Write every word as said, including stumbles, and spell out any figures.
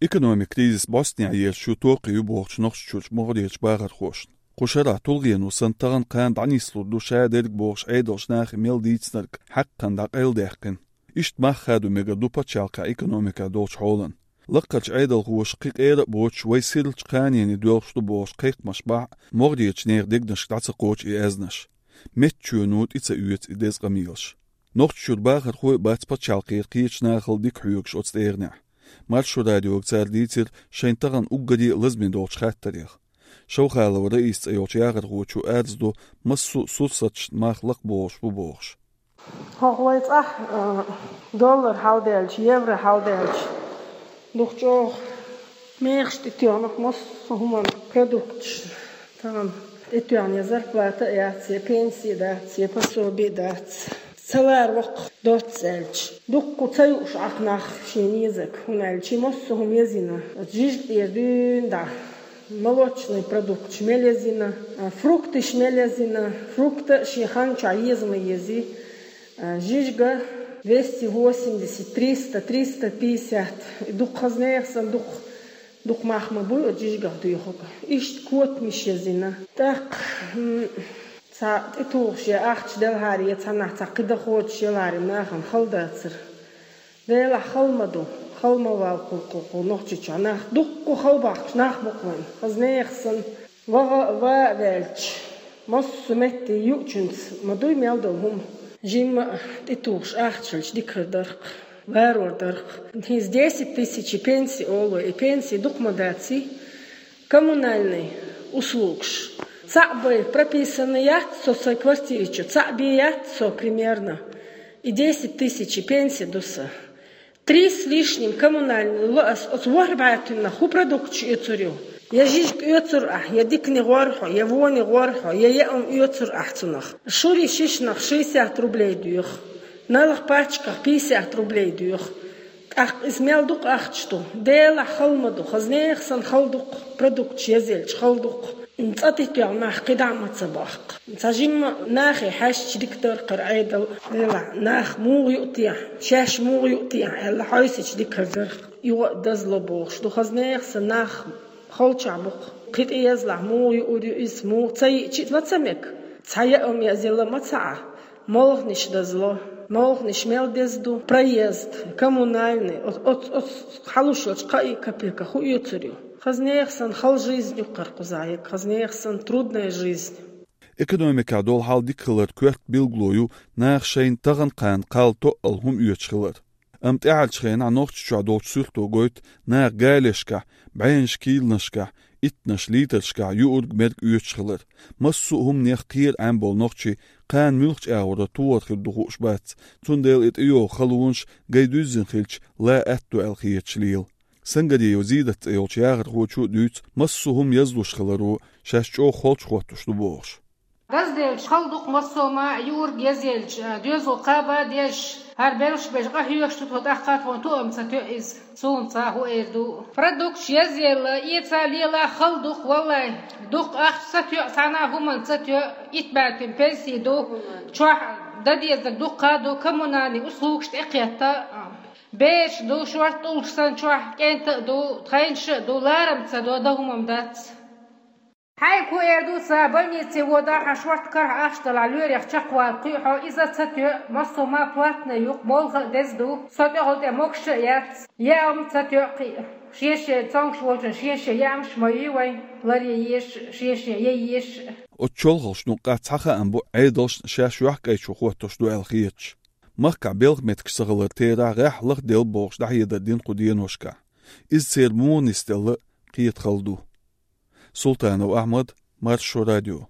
Экономикан кризис бӀостанехьа ераш ю токхе ю бохучу Нохчийчуьрчу могӀарерчу бахархошна. Кху шарахь тулгӀено санна тахана-кхана дӀанислур ду ша дерг бохуш Ӏедалша нахе мел дийцинарг хьаькхна дӀакъайладаьккхина. Иштта мах хадо мегар ду пачхьалкхан экономикехь долчу хьолан. Лаккхарчу Ӏедалхоша кхин къера а боцуш, вай сиралчу кханене доьлхуш ду бохуш кхайкхамаш бахь а, могӀарерчу нехан дегнашка дӀа ца кхочу и аьзнаш. Меттачоьно тӀе ца оьцу и деза къамелаш. Нохчийчуьра бахархой а бац пачхьалкхера кхечу нахал дика хьоьгуш оцу тӀегӀанехь. Маршо радиога цара дийцира шайн тахана уггаре а лазаме долчу хаттарех. Шовхалов Раиса цӀе йолчу яхархочо арз до, массо а сурсаташна мах лакхабохуш бу бохуш. ХӀокху вай цӀахь, а, доллар хьалдаьлча, евро хьалдаьлча, дукха чӀогӀа мехаш тӀетоьхна массо а хӀуманна продукташ. Тахана тӀетоьхна я зарплата а яц, я пенсия дац, я пособие дац. Ца лара воккха доцца аьлча, дуккха ца юуш Ӏа нах шен езарг, хӀунда аьлча массо а хӀума езйина. Оцу жижиг тӀера дуьйна дӀа молочный продукташ мел езйина, а, фрукташ мел езйина, фрукта а шен хан чохь еза ма езий. А, жижига двести восемьдесят, триста, триста пятьдесят, и дукха хаза нехан санна дукха, дукха мах ма буй оцу жижигах доьхург. Иштта котамаш езйина. ТӀаккха, м, цхьа тӀетухуш я ахча делахьара, я цхьаннахь цхьа кхин дан кхочуш елахьара нахана хала дацара. Делахь хала ма ду, хала ма валла кху, кху, кху Нохчийчохь нах, дуккха хала бахкаш нах бу-кх вайн, хаза нехан санна. ВагӀа а, ван а ваьлча, массо а метте юучуьнца ма дуй мел долу хӀума. Жимма а тӀетухуш ахча хилча дика хир дара-кх, ларор дара-кх. ХӀинца десять тысяч пенсия олу, и пенсия дукха ма даций? Коммунальный услугаш. Цхьаъ бен прописанный яц со сайн квартири чу, цхьаъ бен яц со примерно. И десять тысяч пенсия ду сан. Три с лишним коммунальный ло ас, оцу ворхӀ бӀаьвтиннах хӀун продукташ оьцур ю? Я жижиг оьцур ахь, я дикане гӀор хьо, я воне гӀор хьо, я яа хӀума оьцур ахь цунах. Шури шишнах шестьдесят рублей доьху, налах пачках пятьдесят рублей доьху. ТӀаккха иза мел дукха ахча ду? Делахь хала ма ду, хаза нехан санна хала ду-кх, продукташ езъелча хала ду-кх. ЦӀа тӀетоьхна нах кхидӀа а ма ца бохку. Цхьа жимма нахе хьаьжча дика дара-кх хӀара Ӏедал, делахь нах муха юу техьа, шаьш муха юу техьа аьлла хьовсича дика хир дара-кх. Юха а дазло бохуш ду, хаза нехан санна нах халчохь бу-кх. Кхин тӀеязлахь муха юур ю иза, муха ца йиъча а ма ца мега. Цхьа яа хӀума язъяла ма ца Ӏа. Молханаш дазло, молханаш мел деза ду, проезд, коммунальный, оц-, оц-, оц-, хьалуш йолчу кхаа капека хӀун оьцур ю? Хаза нехан санна хала жизнь ю-кх хӀара кхузахь, хаза нехан санна трудная жизнь. Экономикехь долу хьал дика хилар коьрта билгало ю наха шайна тахана-кхана кхалла тоъал хӀума оьцуш хилар. Амма тӀаьхьарчу хенахь Нохчийчохь долчу суьрто гойту наха галешкахь, бӀеннаш кийланашкахь, иттаннаш литрашкахь юург-мерг оьцуш хилар. Массо а хӀуманех кхера Ӏемболу нохчий кхана муьлхачу агӀора тухур хир ду хууш бац, цундела и тӀейогӀу халонаш гай дуьззина хилча ла аьтто аьлла хеташ лела. Сангариев Зидат цӀе йолчу яхархочо а дуьйцу массо а хӀума язлуш хиларо шаьш чӀогӀа холчу хӀоттуш ду бохуш. Дазделча хала ду-кх массо а ма, юург язъелча, доьзал кхаба а деш, хӀара белш беш къахьоьгуш ду тхо, тӀаккха тхуна тоам ца тоьа иза. Суна ца хӀун эр ду. Продукташ язъелла, эца лела хала ду-кх, валлай. Дукха ахча ца тоьа, цхьана а хӀуманна ца тоьа, итт бӀаьвтин пенсий ду, чохь дан дезарг дуккха а ду, коммунальный услугаш тӀекхетта. Бераш ду, шорта тӀулгаш санна чохь кӀентан а ду, тхайнаш а ду, ларам ца до, дан хӀума-м дац. Хьайга хӀун эр ду сан, больнице водахь, хьан шорта карахь ахча далахь, лоьрех чекхвала кхуьу хьо, иза ца тоьа, массо а ма платный ю-кх, молха а деза ду, со тӀехула тӀе могуш а яц, яа хӀума ца тоьа кхин а. Шен-шен цомгуш волчун шен-шен яамаш ма юй вайн, ларъе езаш а, шен-шен яйъе езаш а. Оцу чолхалгӀачу нукъахь цхьа хаам бу Ӏедалшна шаьш йохкӀайчу хӀоттош ду аьлла хеташ. Махкахь белхан меттигаш ца хилар терахь гӀеххьа лахделла бохуш дӀахьедар дина кху деношкахь. Иза церан муха нисделла а кхета хала ду. Султанов Ахьмад, Маршо радио.